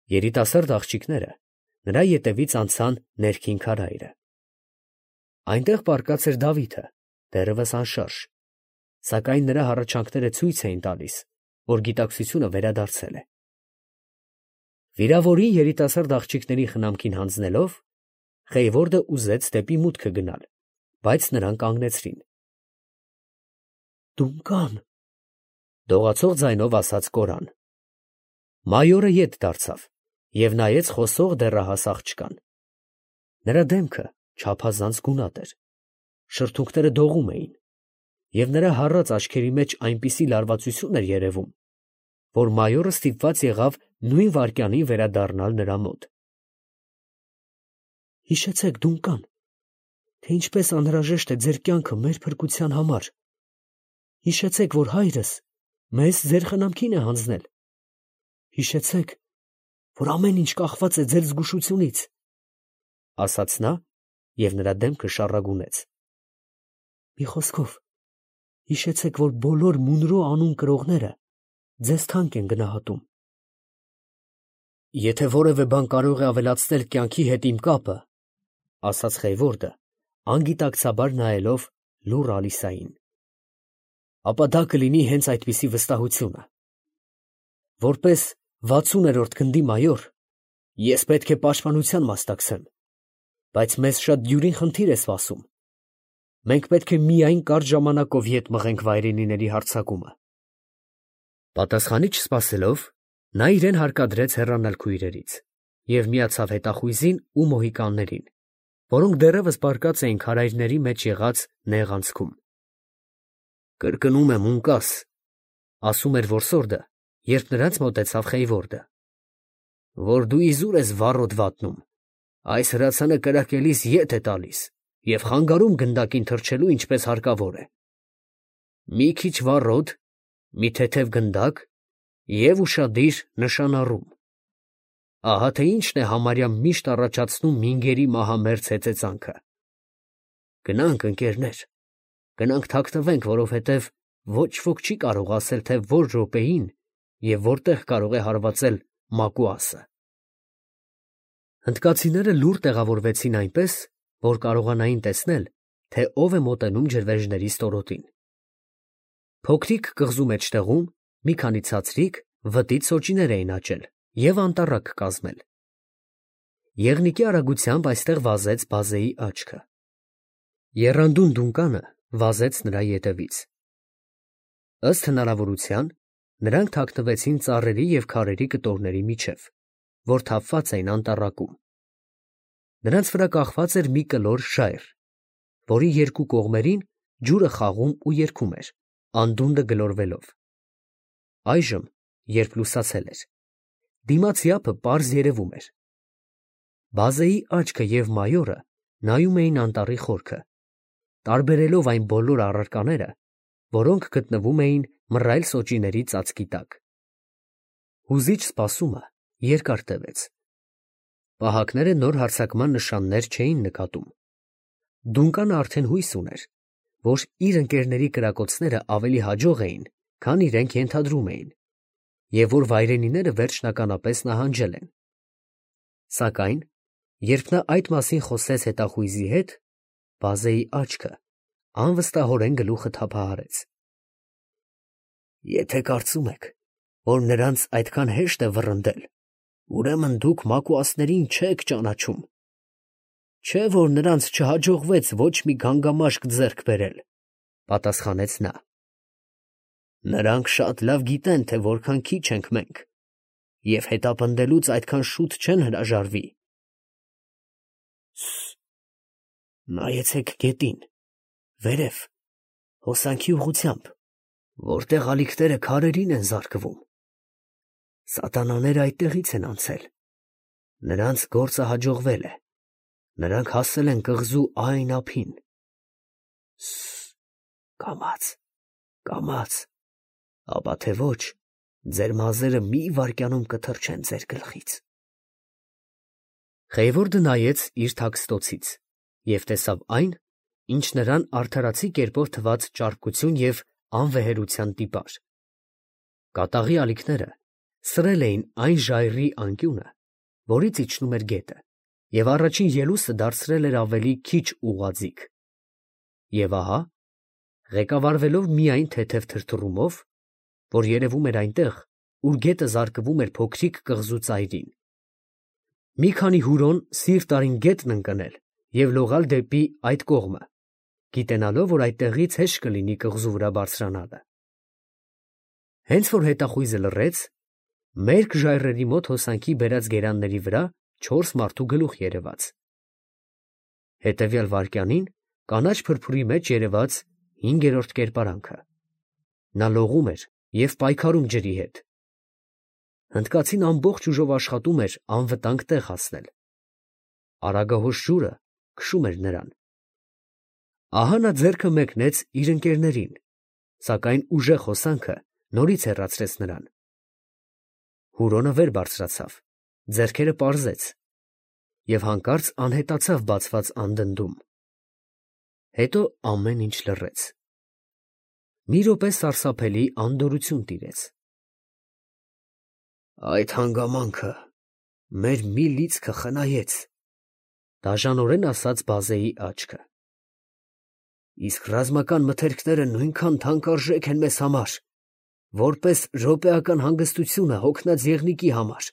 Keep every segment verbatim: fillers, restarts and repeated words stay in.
Երիտասարդ աղջիկները նրա ետևից անցան ներքին քարայրը։ Այնտեղ պառկած էր Դավիթը, դեռևս անշարժ, սակայն նրա հառաչանքները ցույց էին տալիս, որ գիտակցությունը վերադարձել է։ Վիրավորին երիտասարդ աղջիկների խնամքին հանձնելով, Խեյվորդը ուզեց դեպի մուտքը գնալ, բայց նրան կանգնեցրին։ «Դունկան», դողացող ձայնով ասաց Կորան։ Մայորը ետ դարձավ և նայեց խոսող դեռահաս աղջկան։ Նրա դեմքը չափազանց գունատ էր, շրթունքները դողում էին, և նրա հառած աչքերի մեջ այնպիսի լարվածություն էր երևում, որ մայորը ստիպված եղավ նույն վայրկյանին վերադառնալ նրա մոտ։ «Հիշեցեք, Դունկան, թե ինչպես անհրաժեշտ է ձեր կյանքը մեր փրկության համար. հիշեցեք, որ հայրս մեզ ձեր խնամքին է հանձնել. հիշեցեք, որ ամեն ինչ կախված է ձեր զգուշությունից», ֊ ասաց նա, և նրա դեմքը շառագունեց։ «Մի խոսքով, հիշեցեք, որ բոլոր Մունրո անուն կրողները ձեզ թանկ են գնահատում։ Եթե որևէ բան կարող է ավելացնել կյանքի հետ իմ կապը, ֊ ասաց Խեյվորդը, անգիտակցաբար նայելով լուռ Ալիսային, ֊ ապա դա կլինի հենց այդպիսի վստահությունը։ Որպես վաթսուներորդ գնդի մայոր, ես պետք է պաշտպանության մասնակցեմ, բայց մեզ շատ դյուրին խնդիր է սպասում. մենք պետք է միայն կարճ ժամանակով ետ մղենք վայրենիների հարձակումը։ Պատասխանի չսպասելով, նա իրեն հարկադրեց հեռանալ քույրերից և միացավ հետախույզին ու մոհիկաններին, որոնք դեռևս պառկած էին քարայրների մեջ եղած նեղ անցքում։ «Կրկնում եմ, ունկաս», ֊ ասում էր որսորդը, երբ նրանց մոտեցավ Խեյվորդը, ֊ որ դու իզուր ես վառոդ վատնում, այս հրացանը կրակելիս ետ է տալիս և խանգարում գնդակին թռչելու, ինչպես հարկավոր է։ Մի քիչ վառոդ, մի թեթև գնդակ և ուշադիր նշանառում. ահա թե ինչն է համարյա միշտ առաջացնում մինգերի մահամերձ հեծեծանքը։ Գնանք, ընկերներ, գնանք թաքնվենք, որովհետև ոչ ոք չի կարող ասել, թե որ րոպեին և որտեղ կարող է հարվածել մակուասը։ Հնդկացիները լուռ տեղավորվեցին այնպես, որ կարողանային տեսնել, թե ով է մոտենում ջրվեժների ստորոտին։ Փոքրիկ կղզու մեջտեղում մի քանի ցածրիկ, վտիտ սոճիներ էին աճել և անտառակ կազմել։ Եղնիկի արագությամբ այստեղ վազեց բազեի աչքը։ Եռանդուն Դունկանը վազեց նրա ետևից։ Ըստ հնարավորության, նրանք թաքնվեցին ծառերի և քարերի կտորների միջև, որ թափված էին անտառակում։ Նրանց վրա կախված էր մի կլոր ժայռ, որի երկու կողմերին ջուրը խաղում ու երգում էր, անդունդը գլորվելով։ Այժմ, երբ լուսացել էր, դիմացի ափը պարզ երևում էր։ Բազեի աչքը և մայորը նայում էին անտառի խորքը, տարբերելով այն բոլոր առարկաները, որոնք գտնվում էին մռայլ սոճիների ծածկի տակ։ Հուզիչ սպասումը երկար տևեց։ Պահակները նոր հարձակման նշաններ չէին նկատում։ Դունկանը արդեն հույս ուներ, որ իր ընկերների կրակոցները ավելի հաջող էին, քան իրենք ենթադրում էին, և որ վայրենիները վերջնականապես նահանջել են։ Սակայն, երբ նա այդ մասին խոսեց հետախույզի հետ, բազեի աչքը անվստահորեն գլուխը թափահարեց։ Եթե կարծում եք, որ նրանց այդքան հեշտ է վռնդել, ուրեմն դուք մակուասներին չեք ճանաչում։ Չէ՞ որ նրանց չհաջողվեց ոչ մի գանգամաշկ ձեռք բերել, ֊ պատասխանեց նա։ Նրանք շատ լավ գիտեն, թե որքան քիչ ենք մենք, և հետապնդելուց այդքան շուտ չեն հրաժարվի։ Սը՜, նայեցեք գետին, վերև, հոսանքի ուղղությամբ, որտեղ ալիքները քարերին են զարկվում։ Սատանաները այդտեղից են անցել, նրանց գործը հաջողվել է, նրանք հասել են կղզու այն ափին։ Սը՜, կամաց, կամաց, ապա թե ոչ, ձեր մազերը մի վայրկյանում կթռչեն ձեր գլխից։ Խեյվորդը նայեց իր թաքստոցից և տեսավ այն, ինչ նրան արդարացի կերպով թվաց ճարպկություն և անվեհերության տիպար։ Կատաղի ալիքները սրել էին այն ժայռի անկյունը, որից իջնում էր գետը, և առաջին ելուստը դարձրել էր ավելի քիչ ուղղաձիգ։ Եվ ահա, ղեկավարվելով միայն թեթև թրթռումով, որ երևում էր այնտեղ, ուր գետը զարկվում էր փոքրիկ կղզու ծայրին, մի քանի հուրոն սիրտ արին գետն ընկնել և լողալ դեպի այդ կողմը, գիտենալով, որ այդտեղից հեշտ կլինի կղզու վրա բարձրանալը։ Հենց որ հետախույզը լռեց, մերկ ժայռերի մոտ հոսանքի բերած գերանների վրա չորս մարդու գլուխ երևաց։ Հետևյալ վայրկյանին կանաչ փրփուրի մեջ երևաց հինգերորդ կերպարանքը։ Նա լողում էր և պայքարում ջրի հետ։ Հնդկացին ամբողջ ուժով աշխատում էր անվտանգ տեղ հասնել։ Արագահոս ջուրը քշում էր նրան։ Ահա նա ձեռքը մեկնեց իր ընկերներին, սակայն ուժեղ հոսանքը նորից հեռացրեց նրան։ Հուրոնը վեր բարձրացավ, ձեռքերը պարզեց և հանկարծ անհետացավ բացված անդնդում։ Հետո ամեն ինչ լռեց։ Մի րոպե սարսափելի անդորրություն տիրեց։ Այդ հանգամանքը մեր մի լիցքը խնայեց, դաժանորեն ասաց բազեի աչքը։ Իսկ ռազմական մթերքները նույնքան թանկարժեք են մեզ համար, որպես րոպեական հանգստությունը հոգնած եղնիկի համար։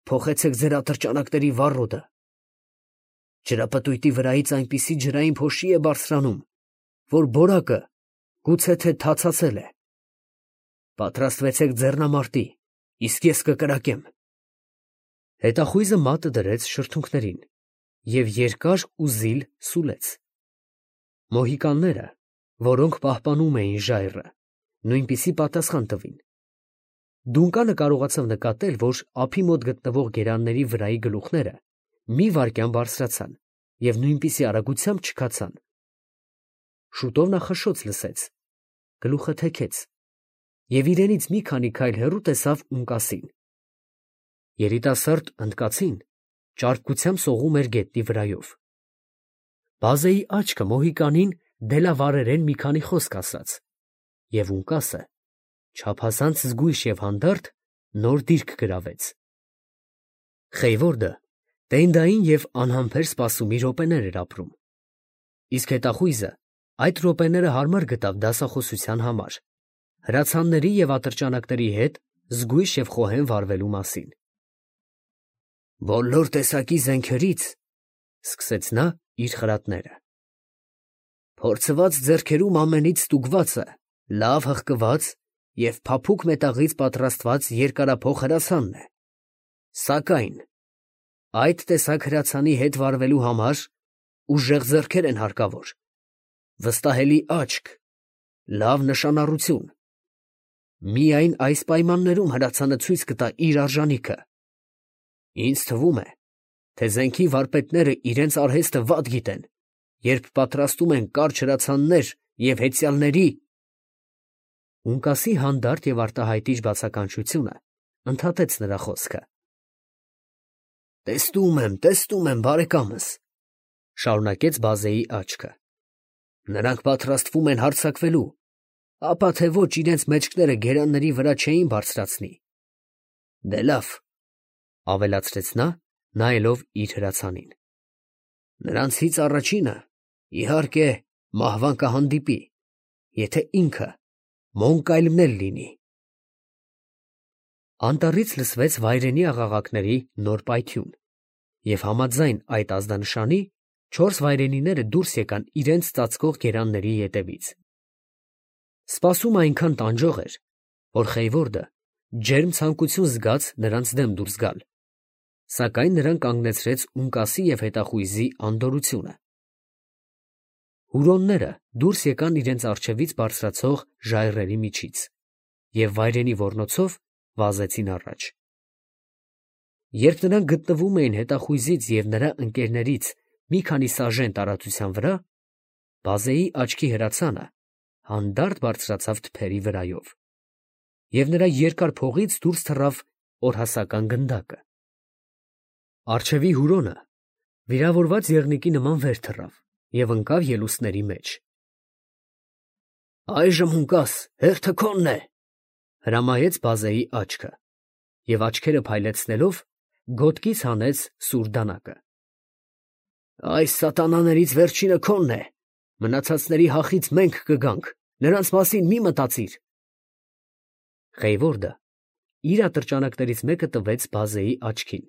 Փոխեցեք ձեր ատրճանակների վառոդը։ Ջրապտույտի վրայից այնպիսի ջրային փոշի է բարձրանում, որ բորակը գուցե թե թացացել է։ Պատրաստվեցեք ձեռնամարտի, իսկ ես կկրակեմ։ Հետախույզը մատը դրեց շրթունքներին և երկար ու զիլ սուլեց։ Մոհիկանները, որոնք պահպանում էին ժայռը, նույնպիսի պատասխան տվին։ Դունկանը կարողացավ նկատել, որ ափի մոտ գտնվող գերանների վրայի գլուխները մի վայրկյան բարձրացան և նույնպիսի արագությամբ չքացան։ Շուտով նա խշշոց լսեց, գլուխը թեքեց և իրենից մի քանի քայլ հեռու տեսավ ունկասին։ Երիտասարդ հնդկացին ճարպկությամբ սողում էր գետնի վրայով։ Բազեի աչքը Մոհիկանին դելավարերեն մի քանի խոսք ասաց, և ունկասը, չափազանց զգույշ և հանդարտ, նոր դիրք գրավեց։ Խեյվորդը տենդային և անհամբեր սպասումի րոպեներ էր ապրում, իսկ հետախույզը այդ րոպեները հարմար գտավ դասախոսության համար, հրացանների և ատրճանակների հետ զգույշ և խոհեմ վարվելու մասին։ Բոլոր տեսակի զենքերից, ֊ սկսեց նա իր խրատները, ֊ փորձված ձեռքերում ամենից ստուգվածը լավ հղկված և փափուկ մետաղից պատրաստված երկարափող հրացանն է, սակայն այդ տեսակ հրացանի հետ վարվելու համար ուժեղ ձեռքեր են հարկավոր, վստահելի աչք, լավ նշանառություն։ Միայն այս պայմաններում հրացանը ցույց կտա իր արժանիքը։ Ինձ թվում է, թե զենքի վարպետները իրենց արհեստը վատ գիտեն, երբ պատրաստում են կարճ հրացաններ և հեծյալների… Ունկասի հանդարտ և արտահայտիչ բացականչությունը ընդհատեց նրա խոսքը։ Տեսնում եմ, տեսնում եմ, բարեկամս, ֊ շարունակեց բազեի աչքը. նրանք պատրաստվում են հարձակվելու, ապա թե ոչ իրենց մեջքները գերանների վրա չէին բարձրացնի։ Դե լավ, ֊ ավելացրեց նա, նայելով իր հրացանին. նրանցից առաջինը, իհարկե, մահվան կհանդիպի, եթե ինքը Մոնկայլն էլ լինի։ Անտառից լսվեց վայրենի աղաղակների նոր պայթյուն, և համաձայն այդ ազդանշանի չորս վայրենիները դուրս եկան իրենց ծածկող գերանների ետևից։ Սպասումը այնքան տանջող էր, որ Խեյվորդը ջերմ ցանկություն զգաց նրանց դեմ դուրս գալ, սակայն նրան կանգնեցրեց ունկասի և հետախույզի անդորրությունը։ Հուրոնները դուրս եկան իրենց առջևից բարձրացող ժայռերի միջից և վայրենի ոռնոցով վազեցին առաջ։ Երբ նրանք գտնվում էին հետախույզից և նրա ընկերներից մի քանի սաժեն տարածության վրա, բազեի աչքի հրացանը հանդարտ բարձրացավ թփերի վրայով, և նրա երկար փողից դուրս թռավ օրհասական գնդակը։ Առջևի հուրոնը վիրավորված եղնիկի նման վեր թռավ և ընկավ ելուստների մեջ։ Այժմ ունկաս, հերթը քոնն է, ֊ հրամայեց բազեի աչքը և, աչքերը փայլեցնելով, գոտկից հանեց սուր դանակը։ Այս սատանաներից վերջինը քոնն է, մնացածների հախից մենք կգանք, նրանց մասին մի մտածիր։ Խեյվորդը իր ատրճանակներից մեկը տվեց բազեի աչքին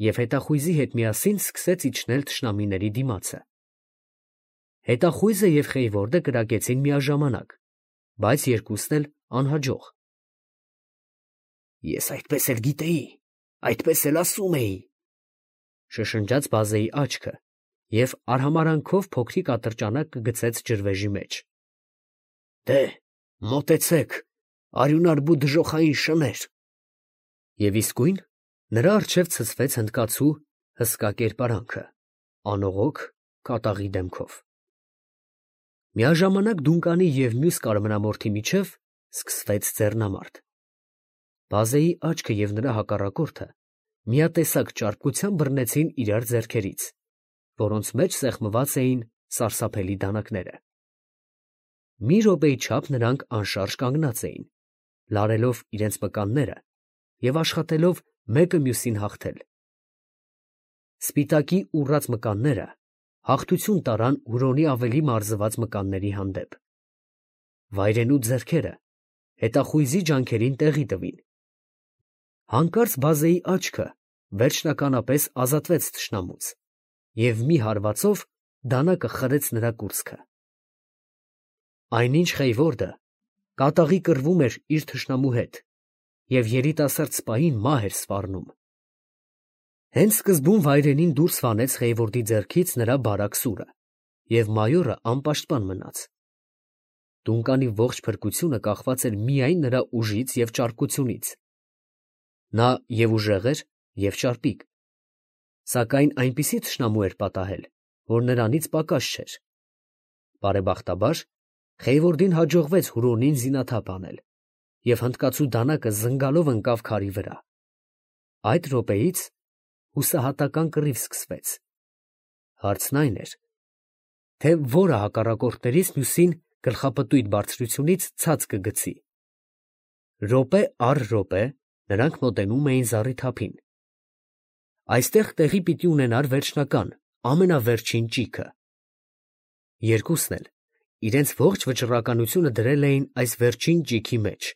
և հետախույզի հետ միասին սկսեց իջնել թշնամիների դիմացը։ Հետախույզը և Խեյվորդը կրակեցին միաժամանակ, բայց երկուսն էլ անհաջող։ Ես այդպես էլ գիտեի, այդպես էլ ասում էի, շշնջաց բազեի աչքը և արհամարանքով փոքրիկ ատրճանակը գցեց ջրվեժի մեջ։ Դե, մոտեցեք, արյունարբու դժոխային շներ։ Եվ իսկույն նրա առջև ցցվեց հնդկացու հսկա կերպարանքը, անողոք կատաղի դեմքով։ Միաժամանակ Դունկանի և մյուս կարմրամորթի միջև սկսվեց ձեռնամարտ։ Բազեի աչքը և նրա հակառակորդը միատեսակ ճարպկությամբ բռնեցին իրար ձեռքերից, որոնց մեջ սեղմված էին սարսափելի դանակները։ Մի րոպեի չափ նրանք անշարժ կանգնած էին, լարելով իրենց մկանները և աշխատելով մեկը մյուսին հաղթել։ Սպիտակի ուռած մկանները հաղթություն տարան Հուրոնի ավելի մարզված մկանների հանդեպ։ Վայրենու ձեռքերը հետախույզի ջանքերին տեղի տվին։ Հանկարծ բազեի աչքը վերջնականապես ազատվեց թշնամուց և մի հարվածով դանակը խրեց նրա կուրծքը։ Այնինչ Խեյվորդը կատաղի կռվում էր իր թշնամու հետ և երիտասարդ սպային մահ էր սպառնում։ Հենց սկզբում վայրենին դուրս վանեց Խեյվորդի ձեռքից նրա բարակ սուրը, և մայորը անպաշտպան մնաց։ Դունկանի ողջ փրկությունը կախված էր միայն նրա ուժից և ճարպկությունից։ Նա և՛ ուժեղ էր, և՛ ճարպիկ, սակայն այնպիսի թշնամու էր պատահել, որ նրանից պակաս չէր։ Բարեբախտաբար Խեյվորդին հաջողվեց Հուրոնին զինաթափ անել, և հնդկացու դանակը զնգալով ընկավ քարի վրա։ Այդ րոպեից հուսահատական կռիվ սկսվեց։ Հարցն այն էր, թե որը հակառակորդներից մյուսին գլխապտույտ բարձրությունից ցած կգցի։ Րոպե առ րոպե նրանք մոտենում էին զառիթափին։ Այստեղ տեղի պիտի ունենար վերջնական, ամենավերջին ճիգը։ Երկուսն էլ իրենց ողջ վճռականությունը դրել էին այս վերջին ճիգի մեջ,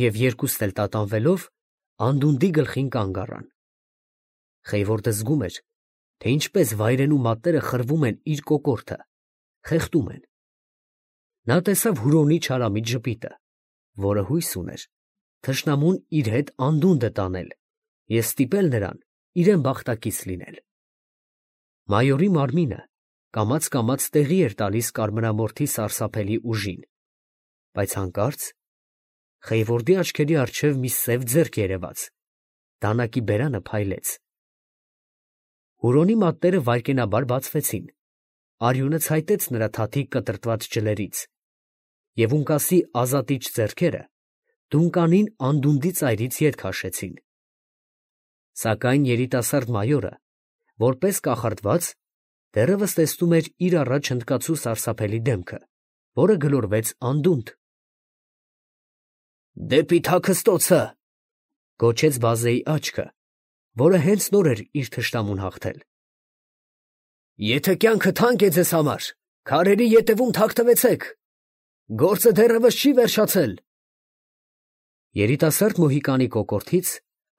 և երկուսն էլ տատանվելով անդունդի գլխին կանգ առան։ Խեյվորդը զգում էր, թե ինչպես վայրենու մատները խրվում են իր կոկորդը, խեղդում են։ Նա տեսավ Հուրոնի չարամիտ ժպիտը, որը հույս ուներ թշնամուն իր հետ անդունդը տանել և ստիպել նրան իրեն բախտակից լինել։ Մայորի մարմինը կամաց֊կամաց տեղի էր տալիս կարմրամորթի սարսափելի ուժին, բայց հանկարծ Խեյվորդի աչքերի առջև մի սև ձեռք երևաց, դանակի բերանը փայլեց։ Հուրոնի մատները վայրկենաբար բացվեցին, արյունը ցայտեց նրա թաթիկ կտրտված ջլերից, և ունկասի ազատիչ ձեռքերը Դունկանին անդունդի ծայրից ետ քաշեցին։ Սակայն երիտասարդ մայորը, որպես կախարդված, դեռևս տեսնում էր իր առաջ հնդկացու սարսափելի դեմքը, որը գլորվեց անդունդ։ Դեպի Թաքստոցը, գոչեց բազեի աչքը, որը հենց նոր էր իր թշնամուն հաղթել։ Եթե կյանքը թանկ է ձեզ համար, քարերի ետևում թաքնվեցեք, գործը դեռևս չի վերջացել։ Երիտասարդ մոհիկանի կոկորդից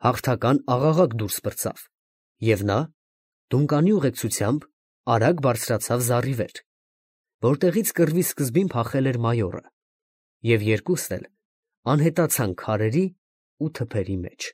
հաղթական աղաղակ դուրս պրծավ, և նա Դունկանի ուղեկցությամբ արագ բարձրացավ զառի վեր, որտեղից կռվի սկզբին փախել էր մայորը, և երկուսն էլ անհետացան քարերի ու թփերի մեջ։